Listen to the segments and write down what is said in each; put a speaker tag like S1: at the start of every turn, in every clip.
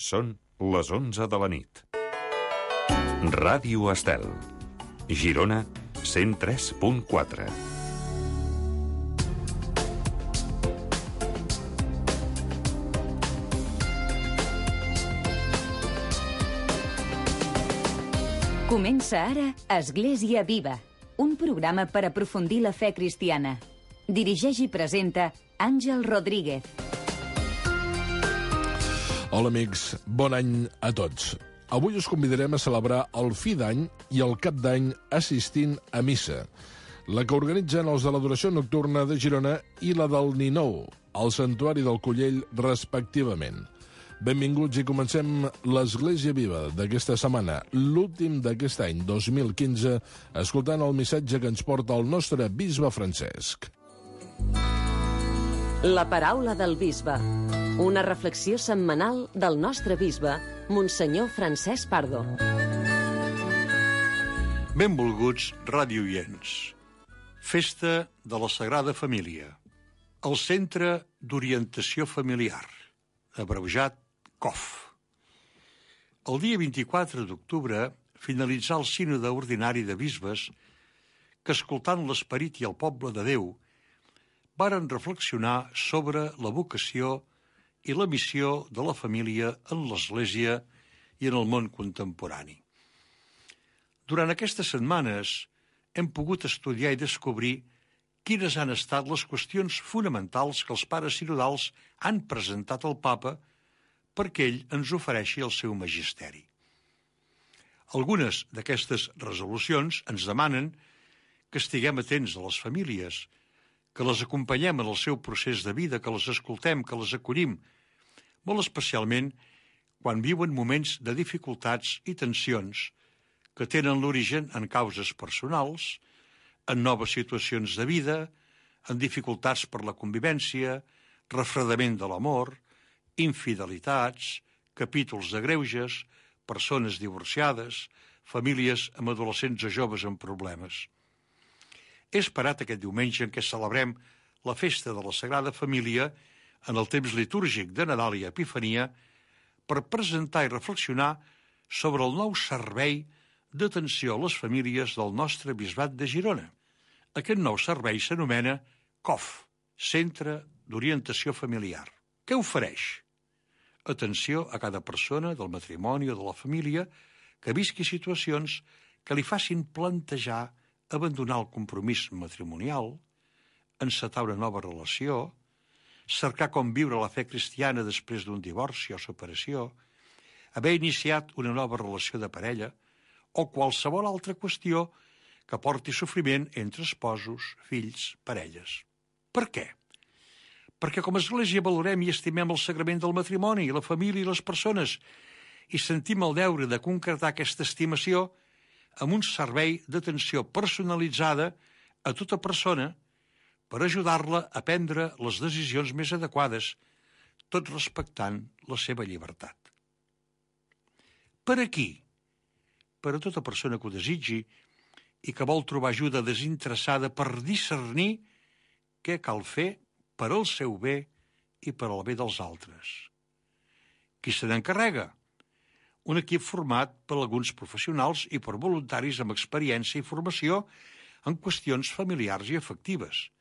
S1: Són les 11 de la nit. Ràdio Estel. Girona 103.4.
S2: Comença ara Església Viva, un programa per aprofundir la fe cristiana. Dirigeix i presenta Àngel Rodríguez.
S3: Hola amics, bon any a tots. Avui us convidarem a celebrar el fi d'any i el cap d'any assistint a missa, la que organitzen els de l'Adoració Nocturna de Girona i la del Ninou, al Santuari del Collell, respectivament. Benvinguts i comencem l'Església Viva d'aquesta setmana, l'últim d'aquest any 2015, escoltant el missatge que ens porta el nostre bisbe Francesc.
S4: La paraula del bisbe. Una reflexió setmanal del nostre bisbe, Monsenyor Francesc Pardo.
S5: Benvolguts radioients. Festa de la Sagrada Família. El Centre d'Orientació Familiar, abreujat COF. El dia 24 d'octubre finalitzà el sínode ordinari de bisbes que, escoltant l'esperit i el poble de Déu, varen reflexionar sobre la vocació i la missió de la família en l'Església i en el món contemporani. Durant aquestes setmanes hem pogut estudiar i descobrir quines han estat les qüestions fonamentals que els pares sinodals han presentat al Papa perquè ell ens ofereixi el seu magisteri. Algunes d'aquestes resolucions ens demanen que estiguem atents a les famílies, que les acompanyem en el seu procés de vida, que les escoltem, que les acollim, molt especialment quan viuen moments de dificultats i tensions que tenen l'origen en causes personals, en noves situacions de vida, en dificultats per la convivència, refredament de l'amor, infidelitats, capítols de greuges, persones divorciades, famílies amb adolescents o joves amb problemes. He esperat aquest diumenge en què celebrem la festa de la Sagrada Família en el temps litúrgic de Nadal i Epifania per presentar i reflexionar sobre el nou servei d'atenció a les famílies del nostre bisbat de Girona. Aquest nou servei s'anomena COF, Centre d'Orientació Familiar. Què ofereix? Atenció a cada persona del matrimoni o de la família que visqui situacions que li facin plantejar abandonar el compromís matrimonial, encetar una nova relació, cercar com viure la fe cristiana després d'un divorci o separació, haver iniciat una nova relació de parella o qualsevol altra qüestió que porti sofriment entre esposos, fills, parelles. Per què? Perquè com a Església valorem i estimem el sagrament del matrimoni, la família i les persones i sentim el deure de concretar aquesta estimació amb un servei d'atenció personalitzada a tota persona per ajudar-la a prendre les decisions més adequades, tot respectant la seva llibertat. Per a qui? Per a tota persona que ho desitgi i que vol trobar ajuda desinteressada per discernir què cal fer per al seu bé i per al bé dels altres. Qui se n'encarrega? Un equip format per alguns professionals i per voluntaris amb experiència i formació en qüestions familiars i afectives,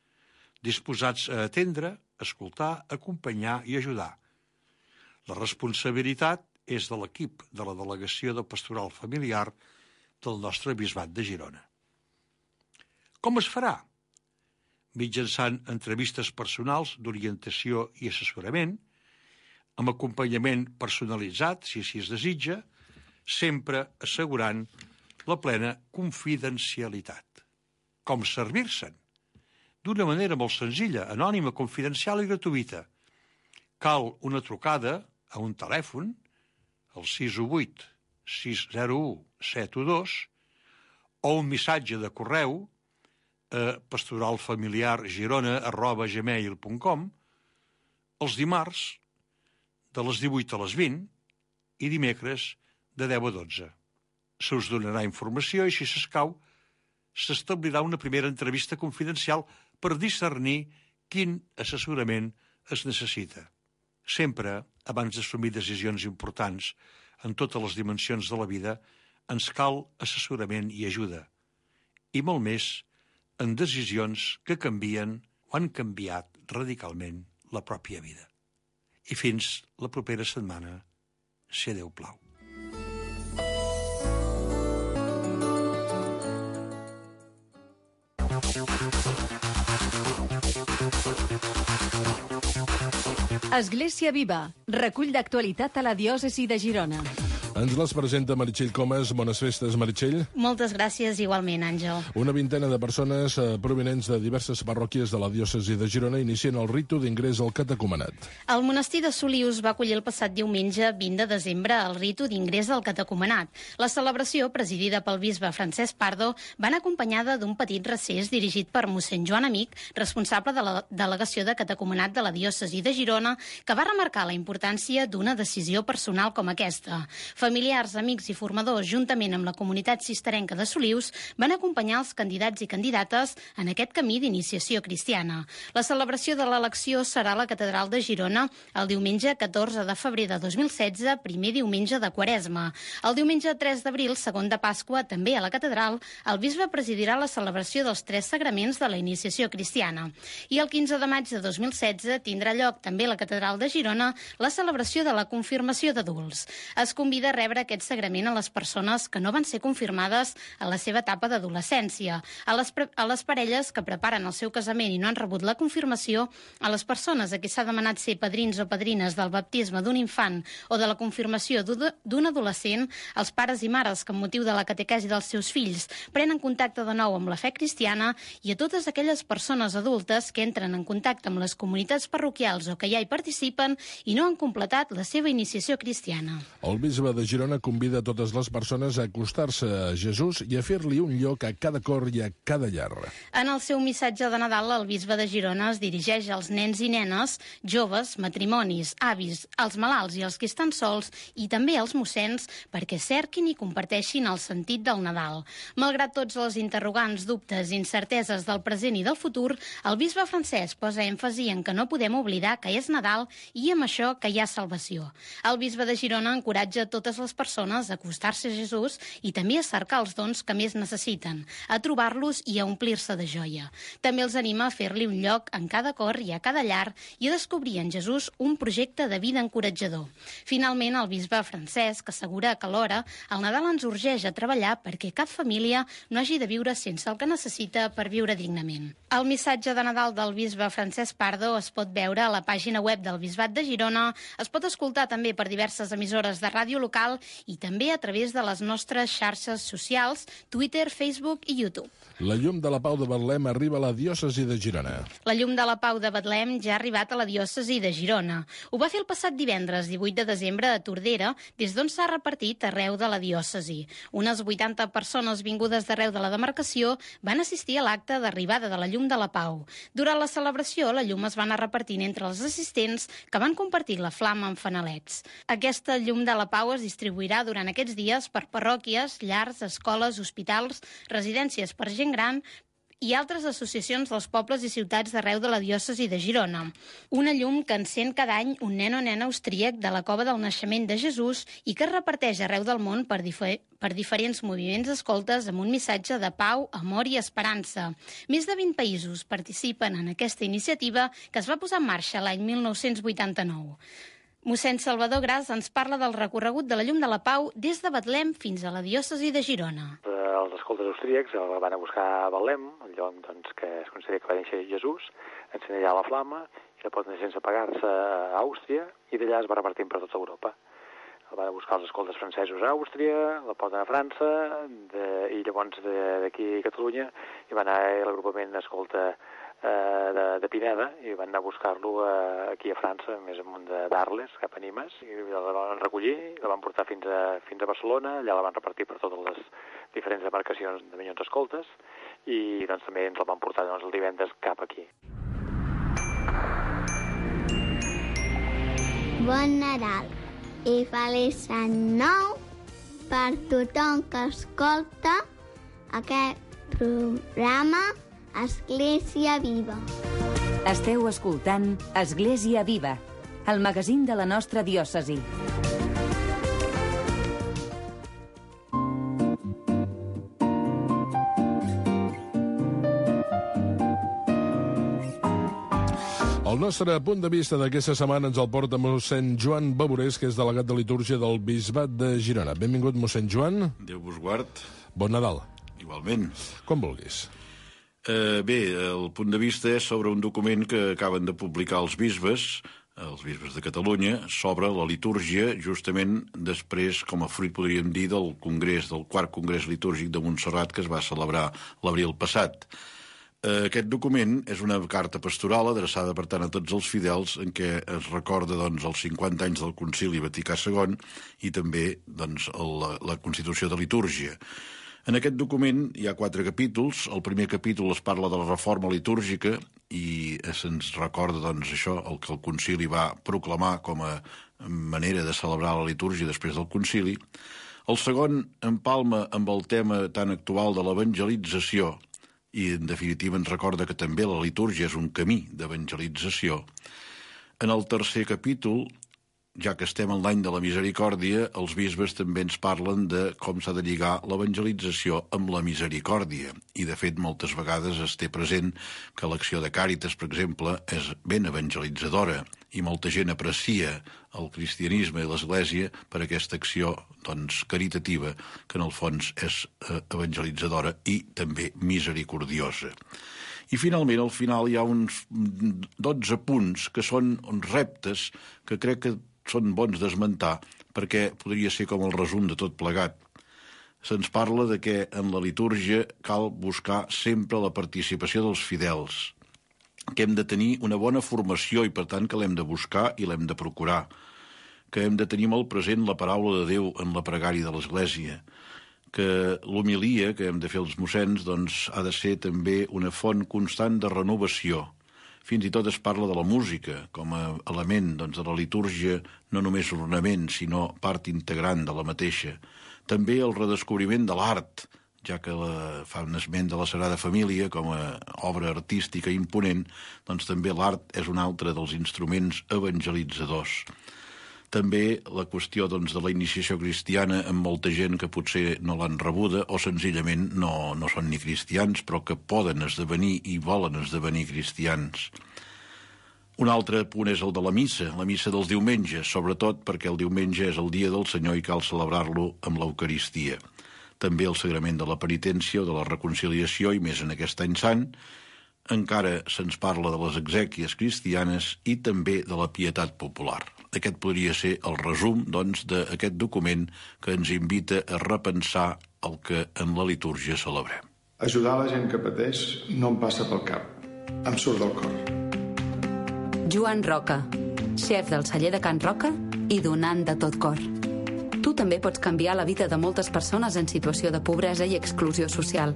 S5: disposats a atendre, escoltar, acompanyar i ajudar. La responsabilitat és de l'equip de la Delegació de Pastoral Familiar del nostre bisbat de Girona. Com es farà? Mitjançant entrevistes personals d'orientació i assessorament, amb acompanyament personalitzat, si així es desitja, sempre assegurant la plena confidencialitat. Com servir-se'n? D'una manera molt senzilla, anònima, confidencial i gratuïta. Cal una trucada a un telèfon, el 618 601 712, o un missatge de correu a pastoralfamiliargirona@gmail.com els dimarts de les 18 a les 20 i dimecres de 10 a 12. Se us donarà informació i, si s'escau, s'establirà una primera entrevista confidencial per discernir quin assessorament es necessita. Sempre, abans d'assumir decisions importants en totes les dimensions de la vida, ens cal assessorament i ajuda, i molt més en decisions que canvien o han canviat radicalment la pròpia vida. I fins la propera setmana, si Déu plau.
S6: Església Viva, recull d'actualitat a la diòcesi de Girona.
S3: Ens les presenta Meritxell Comas. Bones festes, Meritxell.
S7: Moltes gràcies, igualment, Àngel.
S3: Una vintena de persones provinents de diverses parròquies de la diòcesi de Girona inicien el ritu d'ingrés al catecumenat.
S7: El monestir de Solius va acollir el passat diumenge 20 de desembre el ritu d'ingrés al catecumenat. La celebració, presidida pel bisbe Francesc Pardo, va anar acompanyada d'un petit recés dirigit per mossèn Joan Amic, responsable de la delegació de catecumenat de la diòcesi de Girona, que va remarcar la importància d'una decisió personal com aquesta. Familiars, amics i formadors, juntament amb la comunitat cisterenca de Solius, van acompanyar els candidats i candidates en aquest camí d'iniciació cristiana. La celebració de l'elecció serà a la Catedral de Girona el diumenge 14 de febrer de 2016, primer diumenge de Quaresma. El diumenge 3 d'abril, segon de Pasqua, també a la Catedral, el bisbe presidirà la celebració dels 3 sagraments de la iniciació cristiana. I el 15 de maig de 2016 tindrà lloc també a la Catedral de Girona la celebració de la confirmació d'adults. Es convida a rebre aquest sagrament a les persones que no van ser confirmades a la seva etapa d'adolescència, a les parelles que preparen el seu casament i no han rebut la confirmació, a les persones a qui s'ha demanat ser padrins o padrines del baptisme d'un infant o de la confirmació d'un adolescent, als pares i mares que amb motiu de la catequesi dels seus fills prenen contacte de nou amb la fe cristiana i a totes aquelles persones adultes que entren en contacte amb les comunitats parroquials o que ja hi participen i no han completat la seva iniciació cristiana.
S3: El bisbe de Girona convida a totes les persones a acostar-se a Jesús i a fer-li un lloc a cada cor i a cada llar.
S7: En el seu missatge de Nadal, el bisbe de Girona es dirigeix als nens i nenes, joves, matrimonis, avis, als malalts i als que estan sols i també als mossens perquè cerquin i comparteixin el sentit del Nadal. Malgrat tots els interrogants, dubtes i incerteses del present i del futur, el bisbe Francesc posa èmfasi en que no podem oblidar que és Nadal i amb això que hi ha salvació. El bisbe de Girona encoratja totes les persones a acostar-se a Jesús i també a cercar els dons que més necessiten, a trobar-los i a omplir-se de joia. També els anima a fer-li un lloc en cada cor i a cada llar i a descobrir en Jesús un projecte de vida encoratjador. Finalment, el bisbe Francesc assegura que alhora el Nadal ens urgeix a treballar perquè cap família no hagi de viure sense el que necessita per viure dignament. El missatge de Nadal del bisbe Francesc Pardo es pot veure a la pàgina web del Bisbat de Girona, es pot escoltar també per diverses emissores de ràdio local i també a través de les nostres xarxes socials, Twitter, Facebook i YouTube.
S3: La llum de la Pau de Betlem arriba a la diòcesi de Girona.
S7: La llum de la Pau de Betlem ja ha arribat a la diòcesi de Girona. Ho va fer el passat divendres, 18 de desembre, a Tordera, des d'on s'ha repartit arreu de la diòcesi. Unes 80 persones vingudes d'arreu de la demarcació van assistir a l'acte d'arribada de la llum de la Pau. Durant la celebració, la llum es va anar repartint entre els assistents que van compartir la flama amb fanalets. Aquesta llum de la Pau es distribuirà durant aquests dies per parròquies, llars, escoles, hospitals, residències per gent gran i altres associacions dels pobles i ciutats d'arreu de la diòcesi de Girona. Una llum que encén cada any un nen o nena austríac de la cova del naixement de Jesús i que es reparteix arreu del món per diferents moviments escoltes amb un missatge de pau, amor i esperança. Més de 20 països participen en aquesta iniciativa que es va posar en marxa l'any 1989. Mossèn Salvador Gras ens parla del recorregut de la llum de la Pau des de Betlem fins a la diòcesi de Girona.
S8: Els escoltes austríacs el van a buscar a Betlem, el lloc que es considera que va néixer Jesús, encén allà la flama i la poden sense apagar-se a Àustria i d'allà es va repartint per tota Europa. El van a buscar els escoltes francesos a Àustria, la poden a França i llavors d'aquí a Catalunya hi va anar l'agrupament escolta de Pineda i van anar a buscar-lo aquí a França, més amunt d'Arles, cap a Nimes, i la van recollir, la van portar fins a Barcelona, allà la van repartir per totes les diferents demarcacions de Minyons Escoltes i doncs també ens la van portar el divendres cap aquí.
S9: Bon Nadal i feliç any nou per tothom que escolta aquest programa Església Viva.
S2: Esteu escoltant Església Viva, el magazín de la nostra diòcesi.
S3: El nostre punt de vista d'aquesta setmana ens el porta mossèn Joan Baborés, que és delegat de litúrgia del Bisbat de Girona. Benvingut, mossèn Joan.
S10: Déu vos guard.
S3: Bon Nadal.
S10: Igualment.
S3: Com vulguis.
S10: Bé, el punt de vista és sobre un document que acaben de publicar els bisbes de Catalunya, sobre la litúrgia, justament després, com a fruit, podríem dir, del quart congrés litúrgic de Montserrat que es va celebrar l'abril passat. Aquest document és una carta pastoral adreçada, per tant, a tots els fidels en què es recorda els 50 anys del Concili Vaticà II i també la Constitució de Litúrgia. En aquest document hi ha 4 capítols. El primer capítol es parla de la reforma litúrgica i se'ns recorda això, el que el Concili va proclamar com a manera de celebrar la litúrgia després del Concili. El segon empalma amb el tema tan actual de l'evangelització i, en definitiva, ens recorda que també la litúrgia és un camí d'evangelització. En el tercer capítol, ja que estem en l'any de la misericòrdia, els bisbes també ens parlen de com s'ha de lligar l'evangelització amb la misericòrdia. I, de fet, moltes vegades es té present que l'acció de Càritas, per exemple, és ben evangelitzadora i molta gent aprecia el cristianisme i l'Església per aquesta acció caritativa, que en el fons és evangelitzadora i també misericordiosa. I finalment, al final, hi ha uns 12 punts que són uns reptes que crec que són bons d'esmentar, perquè podria ser com el resum de tot plegat. Se'ns parla de que en la litúrgia cal buscar sempre la participació dels fidels, que hem de tenir una bona formació i, per tant, que l'hem de buscar i l'hem de procurar, que hem de tenir molt present la paraula de Déu en la pregària de l'Església, que l'homilia que hem de fer els mossens ha de ser també una font constant de renovació. Fins i tot es parla de la música com a element de la litúrgia, no només ornament, sinó part integrant de la mateixa. També el redescobriment de l'art, ja que fa un esment de la Sagrada Família com a obra artística imponent, també l'art és un altre dels instruments evangelitzadors. També la qüestió de la iniciació cristiana amb molta gent que potser no l'han rebuda o senzillament no són ni cristians, però que poden esdevenir i volen esdevenir cristians. Un altre punt és el de la missa dels diumenges, sobretot perquè el diumenge és el dia del Senyor i cal celebrar-lo amb l'Eucaristia. També el sagrament de la penitència o de la reconciliació, i més en aquest any sant. Encara se'ns parla de les exèquies cristianes i també de la pietat popular. Aquest podria ser el resum, d'aquest document que ens invita a repensar el que en la litúrgia celebrem.
S11: Ajudar la gent que pateix no em passa pel cap. Em surt del cor.
S12: Joan Roca, xef del celler de Can Roca i donant de tot cor. Tu també pots canviar la vida de moltes persones en situació de pobresa i exclusió social.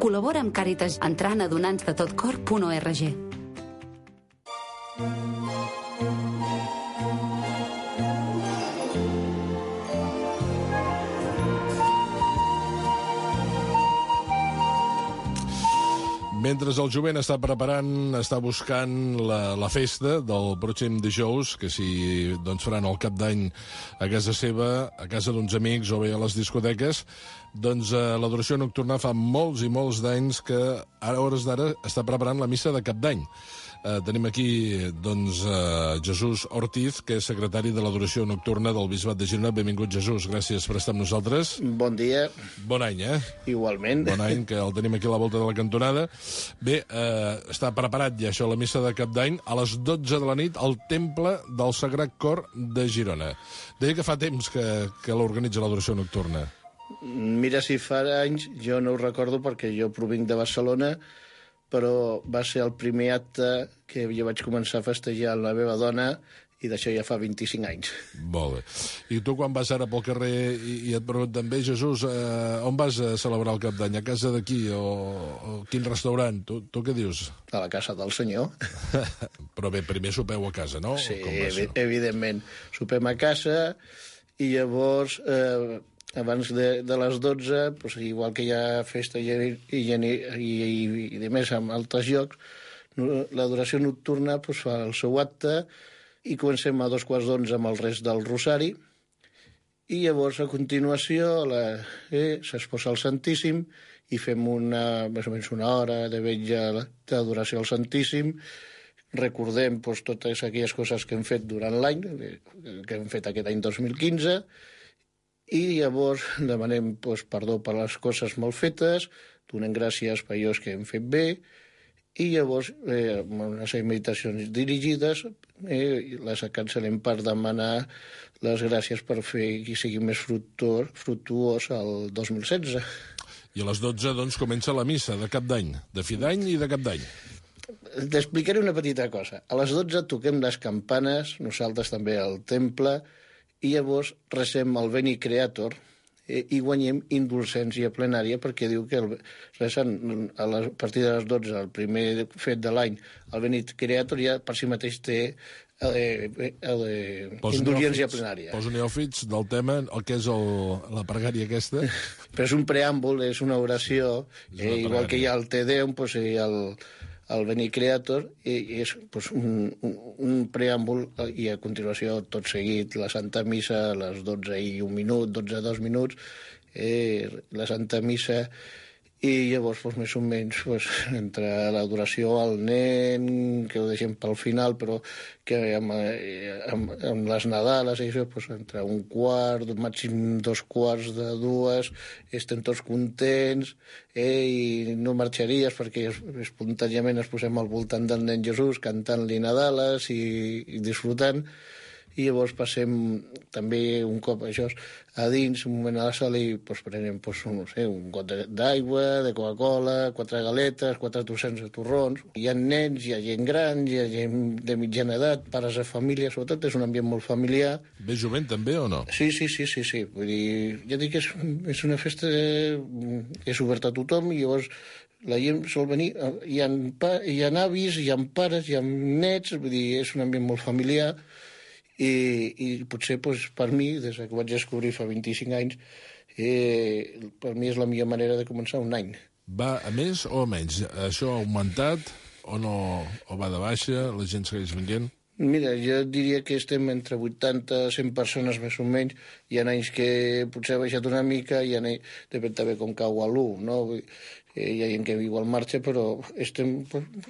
S12: Col·labora amb Càritas entrant a donansdetotcor.org.
S3: Mentre el jovent està buscant la festa del pròxim dijous, que si faran el cap d'any a casa seva, a casa d'uns amics o bé a les discoteques, l'adoració nocturna fa molts i molts d'anys que a hores d'ara està preparant la missa de cap d'any. Tenim aquí Jesús Ortiz, que és secretari de l'adoració nocturna del Bisbat de Girona. Benvingut, Jesús, gràcies per estar amb nosaltres.
S13: Bon dia.
S3: Bon any,
S13: Igualment.
S3: Bon any, que el tenim aquí a la volta de la cantonada. Bé, està preparat ja això, la missa de cap d'any, a les 12 de la nit al Temple del Sagrat Cor de Girona. Deia que fa temps que l'organitza l'adoració nocturna.
S13: Mira, si fa anys, jo no ho recordo perquè jo provinc de Barcelona, però va ser el primer acte que jo vaig començar a festejar amb la meva dona i d'això ja fa 25 anys.
S3: Molt bé. I tu quan vas ara pel carrer i et pregunten, bé, Jesús, on vas a celebrar el cap d'any? A casa d'aquí o quin restaurant? Tu què dius?
S13: A la casa del senyor.
S3: Però bé, primer sopeu a casa, no?
S13: Sí, evidentment. Sopem a casa i llavors... abans de les 12, doncs, igual que hi ha festa i de més amb altres llocs, l'adoració nocturna doncs, fa el seu acte i comencem a 11:15 amb el rest del rosari, i llavors a continuació s'exposa el Santíssim i fem més o menys una hora de vetlla d'adoració al Santíssim. Recordem totes aquelles coses que hem fet durant l'any, que hem fet aquest any 2015, i llavors demanem perdó per les coses mal fetes, donem gràcies per allò que hem fet bé, i llavors unes meditacions dirigides les cancel·lem per demanar les gràcies per fer que sigui més fructuós el 2016.
S3: I a les 12, doncs, comença la missa de cap d'any, de fi d'any i de cap d'any.
S13: T'explicaré una petita cosa. A les 12 toquem les campanes, nosaltres també al temple, i llavors recem el Veni Creator i guanyem indulgència plenària, perquè diu que recent a partir de les 12, el primer fet de l'any, el Veni Creator ja per si mateix té indulgència plenària.
S3: Poso neòfits del tema, el que és la pregària aquesta.
S13: Però és un preàmbul, és una oració, igual que hi ha el Te Deum, hi ha el Veni Creator, i és un preàmbul, i a continuació tot seguit la Santa Missa a les 12:01, 12:02, la Santa Missa, i llavors més o menys entre l'adoració al nen, que ho deixem pel final, però que amb les Nadales entre un quart, màxim 2:15, estem tots contents, i no marxaries perquè espontàniament ens posem al voltant del nen Jesús cantant-li Nadales i disfrutant. I llavors passem també un cop a dins, un moment a la sala, i prenem un got d'aigua, de Coca-Cola, 4 galetes, 4 trossets de torrons. Hi ha nens, hi ha gent gran, hi ha gent de mitjana edat, pares de família, sobretot és un ambient molt familiar.
S3: Ve jovent també o no?
S13: Sí. Vull dir, ja dic que és una festa que és oberta a tothom, i llavors la gent sol venir, hi ha avis, hi ha pares, hi ha nets, vull dir, és un ambient molt familiar. I potser per mi, des que vaig descobrir fa 25 anys, per mi és la millor manera de començar un any.
S3: Va a més o a menys? Això ha augmentat o no? O va de baixa? La gent segueix venint?
S13: Mira, jo diria que estem entre 80 100 persones més o menys. Hi ha anys que potser ha baixat una mica, depèn també com cau a l'1, no? Hi ha gent que viu al marge, però estem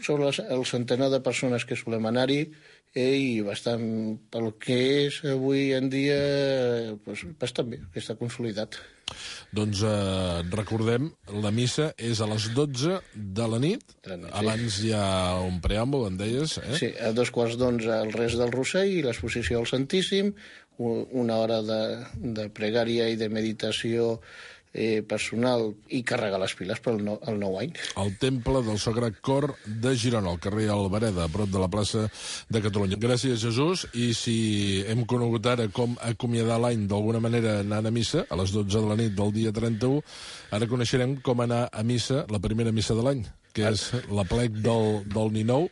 S13: sobre el centenar de persones que solem anar-hi, i bastant, pel que és avui en dia, bastant bé, que està consolidat.
S3: Doncs recordem, la missa és a les 12 de la nit. Abans hi ha un preàmbul, em deies, eh?
S13: Sí, a 11:15 el rest del rosari i l'exposició al Santíssim, una hora de pregària i de meditació personal, i carregar les piles pel nou any.
S3: El Temple del Sagrat Cor de Girona, al carrer Albereda, a prop de la plaça de Catalunya. Gràcies, Jesús, i si hem conegut ara com acomiadar l'any d'alguna manera anant a missa, a les 12 de la nit del dia 31, ara coneixerem com anar a missa, la primera missa de l'any, que és l'aplec del Ninou,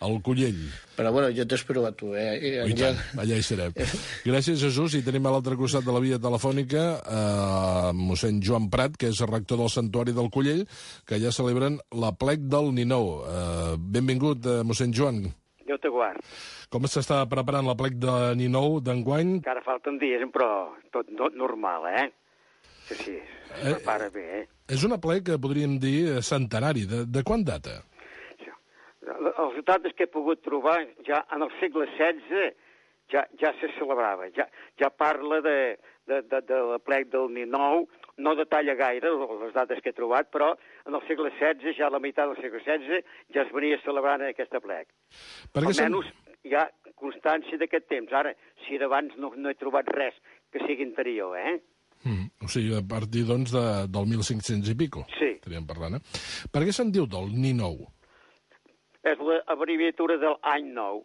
S3: al Collell.
S13: Però bueno, jo t'espero a tu,
S3: I tant, allà hi serem. Gràcies, Jesús, i tenim a l'altre costat de la via telefònica mossèn Joan Prat, que és el rector del Santuari del Collell, que ja celebren l'aplec del Ninou. Benvingut, mossèn Joan.
S14: Déu te guard.
S3: Com s'està preparant l'aplec de Ninou d'enguany?
S14: Encara falten dies, però tot normal, Sí, es prepara bé,
S3: És un aplec que podríem dir centenari. De quan data?
S14: Els dates que he pogut trobar ja en el segle XVI ja se celebrava. Ja parla de l'aplec del Ninou, no detalla gaire les dates que he trobat, però en el segle XVI, ja a la meitat del segle XVI, ja es venia celebrant aquest aplec. Almenys hi ha constància d'aquest temps. Ara, si d'abans no he trobat res que sigui anterior,
S3: O sigui, a partir, doncs, del 1500 i pico.
S14: Sí.
S3: Estaríem parlant, Per què se'n diu del Ninou?
S14: És l'abreviatura de l'any nou.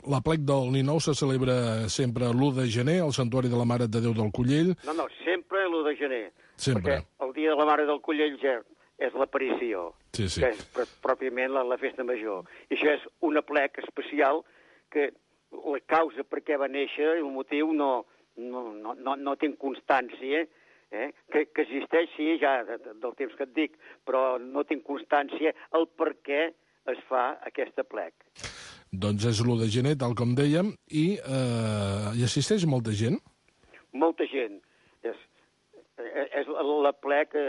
S3: L'aplec del Ninou se celebra sempre l'1 de gener al Santuari de la Mare de Déu del Collell.
S14: No, sempre l'1 de gener.
S3: Sempre.
S14: Perquè el dia de la Mare del Collell ja és l'aparició,
S3: sí.
S14: Que és pròpiament la festa major. I això és un aplec especial que la causa per què va néixer, el motiu, no tinc constància, que existeix, sí, ja del temps que et dic, però no tinc constància el per què es fa aquest aplec.
S3: Doncs és l'1 de gener, tal com dèiem, i hi assisteix molta gent?
S14: Molta gent. És la ple que...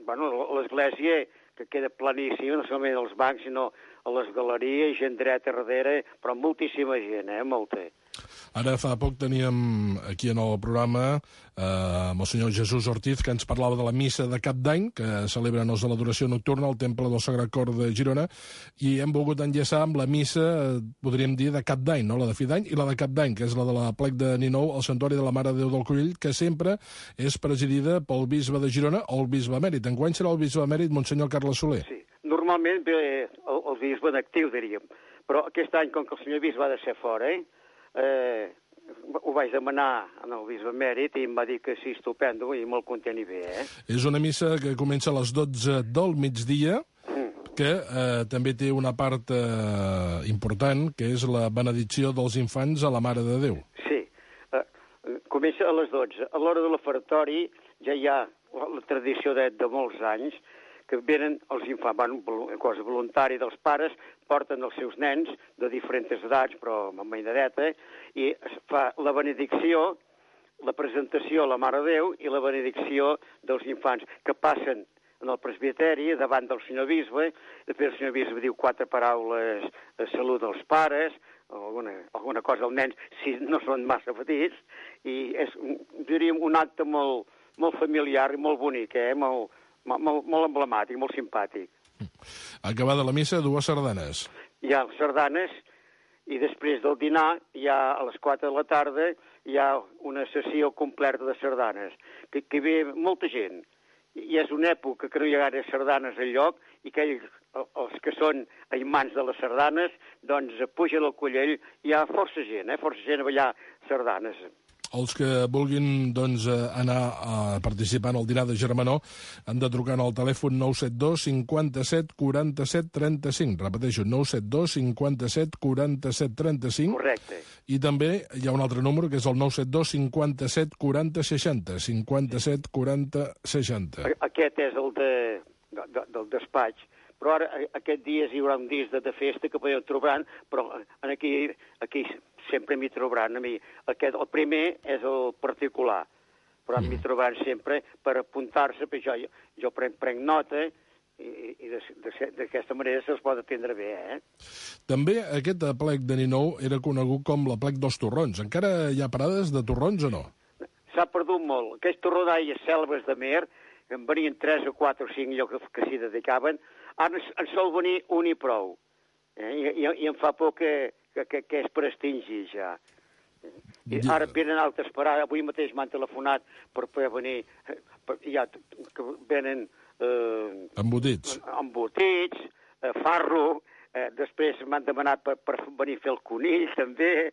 S14: Bueno, l'església que queda planíssima, no solament als bancs, sinó a les galeries, gent dreta darrere, però moltíssima gent, molta.
S3: Ara fa poc teníem aquí en el programa amb el senyor Jesús Ortiz, que ens parlava de la missa de Cap d'Any, que celebren els de l'adoració nocturna al Temple del Sagrat Cor de Girona, i hem volgut enllaçar amb la missa, podríem dir, de Cap d'Any, no? La de fi d'any i la de Cap d'Any, que és la de la plec de Ninou, al Santuari de la Mare de Déu del Collell, que sempre és presidida pel bisbe de Girona o el bisbe emèrit. Enguany serà el bisbe emèrit, Monsenyor Carles Soler.
S14: Sí, normalment ve el bisbe en actiu, diríem, però aquest any, com que el senyor bisbe ha de ser fora, ho vaig demanar al bisbe emèrit i em va dir que sí, estupendo, i molt content i bé,
S3: És una missa que comença a les 12 del migdia, que també té una part important, que és la benedicció dels infants a la Mare de Déu.
S14: Sí, comença a les 12. A l'hora de l'ofertori ja hi ha la tradició de molts anys, que venen els infants, una cosa voluntària dels pares, porten els seus nens de diferents edats, però amb mainadeta, i es fa la benedicció, la presentació a la Mare de Déu i la benedicció dels infants, que passen en el presbiteri davant del senyor bisbe, després el senyor bisbe diu 4 paraules de salut als pares, alguna cosa als nens, si no són massa petits, i és, diríem, un acte molt familiar i molt bonic, molt emblemàtic, molt simpàtic.
S3: Acabada la missa, 2 sardanes.
S14: Hi ha sardanes i després del dinar, a les 4 de la tarda, hi ha una sessió completa de sardanes, que ve molta gent. I és una època que no hi ha gaire sardanes al lloc i que els que són imants de les sardanes, doncs pugen al Collell, hi ha força gent a ballar sardanes.
S3: Els que vulguin doncs, anar a participar en el dinar de Germanó han de trucar al telèfon 972 57 47 35. Repeteixo, 972 57 47 35.
S14: Correcte.
S3: I també hi ha un altre número, que és el 972 57 40 60. 57 40 60.
S14: Aquest és el del despatx. Però ara, aquest dies hi haurà un dia de festa que podeu trobar, però aquí sempre m'hi trobaran a mi. El primer és el particular, però m'hi trobaran sempre per apuntar-se, perquè jo prenc nota i d'aquesta manera se'ls pot atendre bé,
S3: També aquest plec de Ninou era conegut com la plec dels torrons. Encara hi ha parades de torrons o no?
S14: S'ha perdut molt. Aquest torró d'aigua selves de mer, en venien 3 o 4 o 5 llocs que s'hi dedicaven, ara en sol venir un i prou. I em fa por que és per extingir ja. I ara venen altres parades. Avui mateix m'han telefonat per poder venir. Que venen...
S3: Embotits,
S14: farro. Després m'han demanat per venir a fer el conill, també.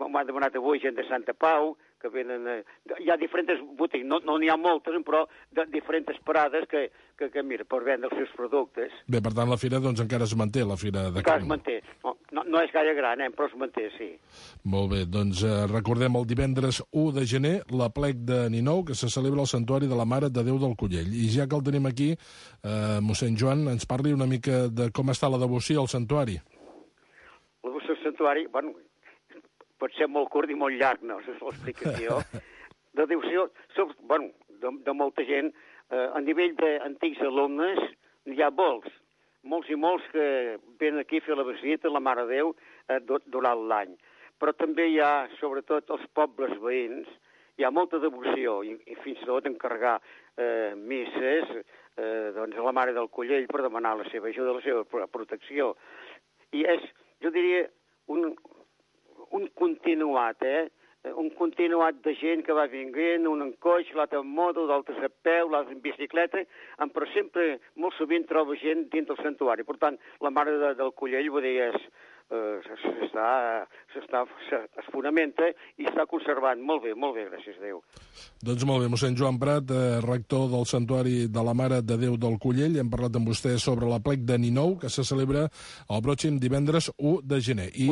S14: M'han demanat avui gent de Santa Pau, que venen... Hi ha diferents botigues, no n'hi ha moltes, però diferents parades que mira, per vendre els seus productes.
S3: Bé, per tant, la fira doncs encara es manté, la fira de carn.
S14: Es manté. No és gaire gran, però es manté, sí.
S3: Molt bé, doncs recordem el divendres 1 de gener, la plec de Ninou, que se celebra al Santuari de la Mare de Déu del Collell. I ja que el tenim aquí, mossèn Joan, ens parli una mica de com està la devoció al santuari.
S14: La devoció al santuari, bueno, pot ser molt curt i molt llarg, no? És l'explicació. De devoció, bueno, de molta gent, a nivell d'antics alumnes, hi ha molts i molts que venen aquí a fer la visita a la Mare de Déu durant l'any. Però també hi ha, sobretot, els pobles veïns, hi ha molta devoció, i fins i tot encarregar misses doncs a la Mare del Collell per demanar la seva ajuda, la seva protecció. I és, jo diria, un continuat, un continuat de gent que va vinguent, un en coix, l'altre en moto, d'altres a peu, l'altre en bicicleta, però sempre, molt sovint, troba gent dins del santuari. Per tant, la Mare del Collell, vull dir, es fonamenta i està conservant molt bé, gràcies a Déu.
S3: Doncs molt bé, mossèn Joan Prat, rector del Santuari de la Mare de Déu del Collell. Hem parlat amb vostè sobre la plec de Ninou, que se celebra el pròxim divendres 1 de gener. I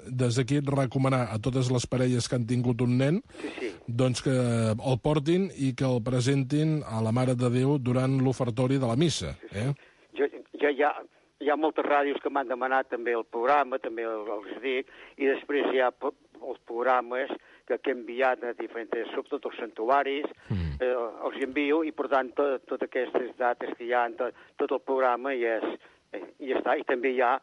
S3: des d'aquí recomanar a totes les parelles que han tingut un nen doncs que el portin i que el presentin a la Mare de Déu durant l'ofertori de la missa.
S14: hi ha moltes ràdios que m'han demanat també el programa, també els dic, i després hi ha els programes que he enviat a diferents, sobretot els santuaris, els envio, i per tant totes aquestes dates que hi ha, tot el programa ja està, i també hi ha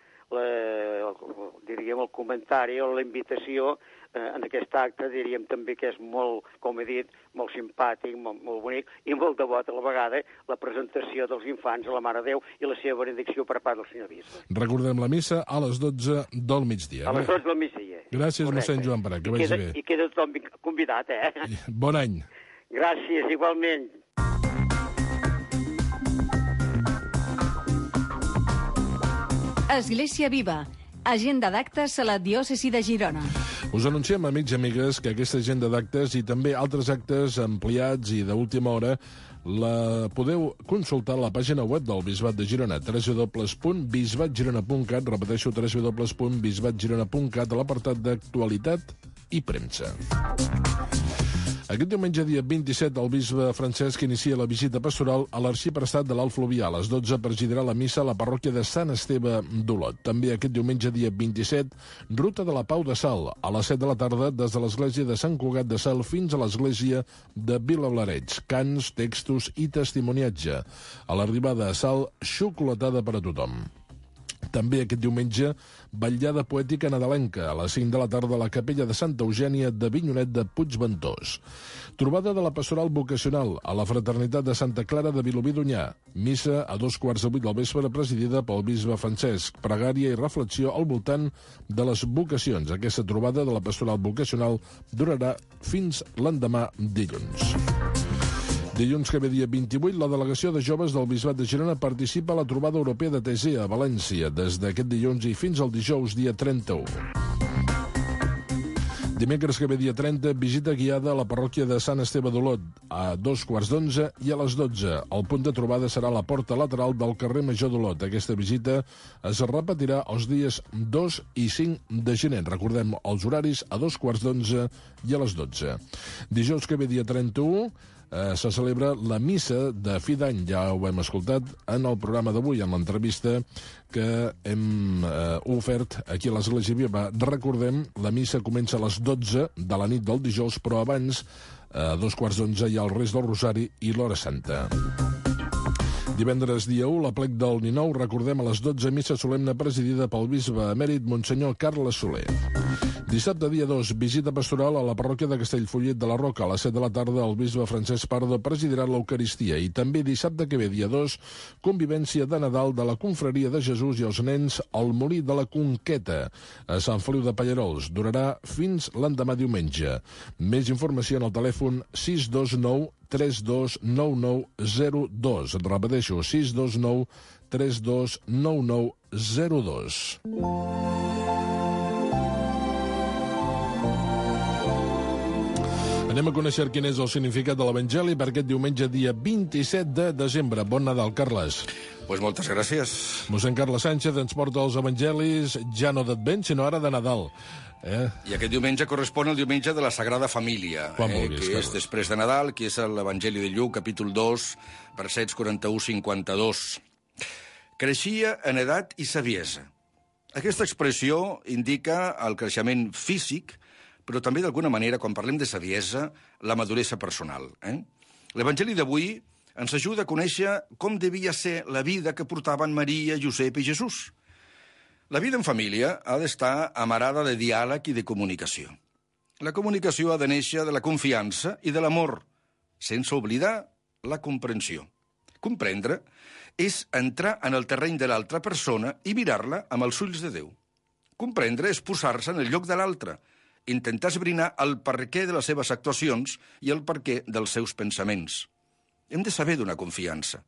S14: diríem el comentari o la invitació en aquest acte, diríem també que és molt, com he dit, molt simpàtic, molt bonic i molt devot a la vegada, la presentació dels infants a la Mare de Déu i la seva benedicció per part del senyor bisbe.
S3: Recordem la missa a les 12 del migdia.
S14: A les 12 del migdia.
S3: Gràcies, mossèn Joan Prat, que vagi bé.
S14: I queda tothom convidat,
S3: Bon any.
S14: Gràcies, igualment.
S6: Església Viva. Agenda d'actes a la diòcesi de Girona.
S3: Us anunciem, amics i amigues, que aquesta agenda d'actes i també altres actes ampliats i d'última hora la podeu consultar a la pàgina web del Bisbat de Girona, www.bisbatgirona.cat, repeteixo, www.bisbatgirona.cat, a l'apartat d'actualitat i premsa. Aquest diumenge, dia 27, el bisbe Francesc inicia la visita pastoral a l'arxiprestat de l'Alt Fluvià. A les 12 presidirà la missa a la parròquia de Sant Esteve d'Olot. També aquest diumenge, dia 27, ruta de la Pau de Sal, a les 7 de la tarda, des de l'església de Sant Cugat de Sal fins a l'església de Vilablareig. Cants, textos i testimoniatge. A l'arribada a Sal, xocolatada per a tothom. També aquest diumenge, vetllada poètica nadalenca, a les 5 de la tarda a la capella de Santa Eugènia de Vinyonet de Puigventós. Trobada de la pastoral vocacional a la fraternitat de Santa Clara de Vilobí d'Onyar. Missa a 7:45 del vespre presidida pel bisbe Francesc. Pregària i reflexió al voltant de les vocacions. Aquesta trobada de la pastoral vocacional durarà fins l'endemà dilluns. Dilluns que ve dia 28, la delegació de joves del Bisbat de Girona participa a la trobada europea de Tesea, a València, des d'aquest dilluns i fins al dijous, dia 31. Dimecres que ve dia 30, visita guiada a la parròquia de Sant Esteve d'Olot, a 2:15 i a les 12. El punt de trobada serà la porta lateral del carrer Major d'Olot. Aquesta visita es repetirà els dies 2 i 5 de gener. Recordem els horaris a 2:15 i a les 12. Dijous que ve dia 31, se celebra la missa de fi d'any. Ja ho hem escoltat en el programa d'avui, en l'entrevista que hem ofert aquí a l'Església Viva. Recordem, la missa comença a les 12 de la nit del dijous, però abans, a 2:15, hi ha el rest del Rosari i l'Hora Santa. Divendres, dia 1, l'aplec del Ninou, recordem, a les 12, missa solemne presidida pel bisbe emèrit Monsenyor Carles Soler. Dissabte, dia 2, visita pastoral a la parròquia de Castellfollit de la Roca. A les 7 de la tarda, el bisbe Francesc Pardo presidirà l'Eucaristia. I també dissabte que ve, dia 2, convivència de Nadal de la Confraria de Jesús i els nens al Molí de la Conqueta, a Sant Feliu de Pallerols. Durarà fins l'endemà diumenge. Més informació en el telèfon 629 329902. Repeteixo, 629 329902. Anem a conèixer quin és el significat de l'Evangeli per aquest diumenge, dia 27 de desembre. Bon Nadal, Carles.
S15: Pues moltes gràcies.
S3: Mossèn Carles Sánchez ens porta els evangelis ja no d'Advent, sinó ara de Nadal.
S15: I aquest diumenge correspon al diumenge de la Sagrada Família,
S3: vulguis,
S15: que és després de Nadal, que és l'Evangeli de Lluc, capítol 2, versets 41-52. Creixia en edat i saviesa. Aquesta expressió indica el creixement físic, però també, d'alguna manera, quan parlem de saviesa, la maduresa personal. L'Evangeli d'avui ens ajuda a conèixer com devia ser la vida que portaven Maria, Josep i Jesús. La vida en família ha d'estar amarada de diàleg i de comunicació. La comunicació ha de néixer de la confiança i de l'amor, sense oblidar la comprensió. Comprendre és entrar en el terreny de l'altra persona i mirar-la amb els ulls de Déu. Comprendre és posar-se en el lloc de l'altre, intentar esbrinar el perquè de les seves actuacions i el perquè dels seus pensaments. Hem de saber donar confiança.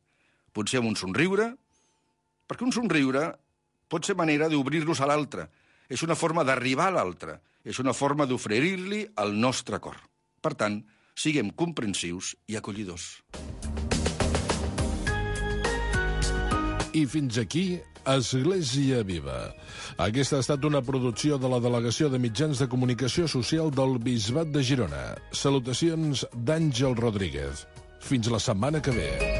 S15: Potser amb un somriure, perquè un somriure pot ser manera d'obrir-nos a l'altre. És una forma d'arribar a l'altre. És una forma d'oferir-li el nostre cor. Per tant, siguem comprensius i acollidors.
S3: I fins aquí, Església Viva. Aquesta ha estat una producció de la Delegació de Mitjans de Comunicació Social del Bisbat de Girona. Salutacions d'Àngel Rodríguez. Fins la setmana que ve.